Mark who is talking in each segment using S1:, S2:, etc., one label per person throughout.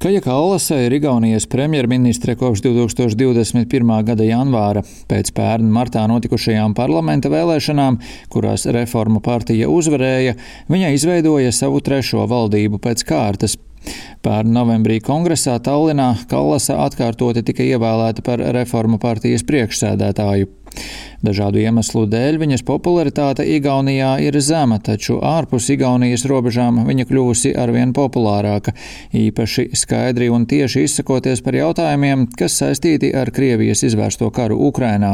S1: Kaja Kallase ir Igaunijas premjerministre kopš 2021. gada janvāra. Pēc pērn martā notikušajām parlamenta vēlēšanām, kurās Reformu partija uzvarēja, viņa izveidoja savu trešo valdību pēc kārtas. Pērn novembrī kongresā Tallinā Kallase atkārtoti tika ievēlēta par Reformu partijas priekšsēdētāju. Dažādu iemeslu dēļ viņas popularitāte Igaunijā ir zema, taču ārpus Igaunijas robežām viņa kļuvusi arvien populārāka, īpaši skaidri un tieši izsakoties par jautājumiem, kas saistīti ar Krievijas izvērsto karu Ukrainā.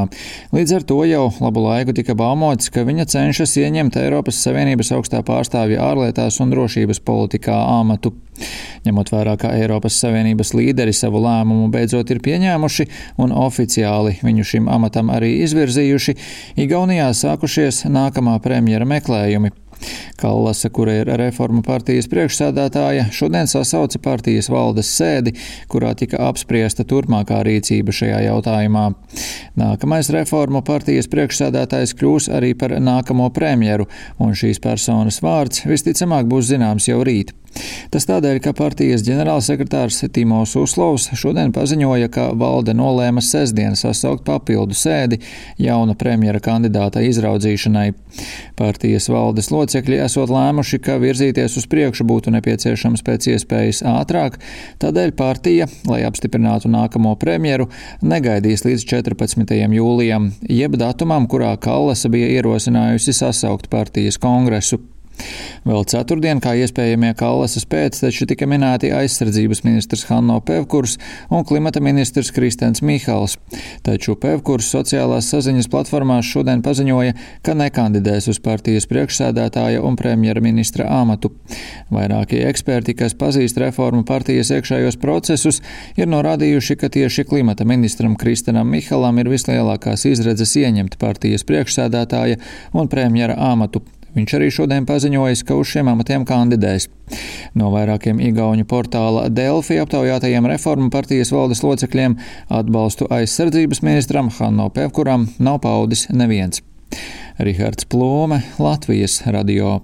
S1: Līdz ar to jau labu laiku tika baumots, ka viņa cenšas ieņemt Eiropas Savienības augstā pārstāvja ārlietās un drošības politikā amatu. Ņemot vērā, ka Eiropas Savienības līderi savu lēmumu beidzot ir pieņēmuši un oficiāli viņu šim amatam arī izvirzījuši, Igaunijā sākušies nākamā premjera meklējumi. Kallase, kura ir Reformu partijas priekšsēdētāja, šodien sasauca partijas valdes sēdi, kurā tika apspriesta turpmākā rīcība šajā jautājumā. Nākamais Reformu partijas priekšsēdētājs kļūs arī par nākamo premjeru, un šīs personas vārds visticamāk būs zināms jau rīt. Tas tādēļ, ka partijas ģenerālsekretārs Timo Suslovs šodien paziņoja, ka valde nolēma sestdien sasaukt papildu sēdi jauna premjera kandidāta izraudzīšanai. Partijas valdes locekļi esot lēmuši, ka virzīties uz priekšu būtu nepieciešams pēc iespējas ātrāk, tādēļ partija, lai apstiprinātu nākamo premjeru, negaidīs līdz 14. jūlijam, jeb datumam, kurā Kallase bija ierosinājusi sasaukt partijas kongresu. Vēl ceturtdien, kā iespējamie Kallases pēcteči, tika minēti aizsardzības ministrs Hanno Pevkurs un klimata ministrs Kristens Michals. Taču Pevkurs sociālās saziņas platformās šodien paziņoja, ka nekandidēs uz partijas priekšsēdētāja un premjera ministra amatu. Vairākie eksperti, kas pazīst Reformu partijas iekšējos procesus, ir norādījuši, ka tieši klimata ministram Kristenam Michalam ir vislielākās izredzes ieņemt partijas priekšsēdētāja un premjera amatu. Viņš arī šodien paziņojis, ka uz šiem amatiem kandidēs. No vairākiem igauņu portāla Delfi aptaujātajiem Reformu partijas valdes locekļiem atbalstu aizsardzības ministram Hanno Pevkuram nav paudis neviens. Rihards Plūme, Latvijas radio.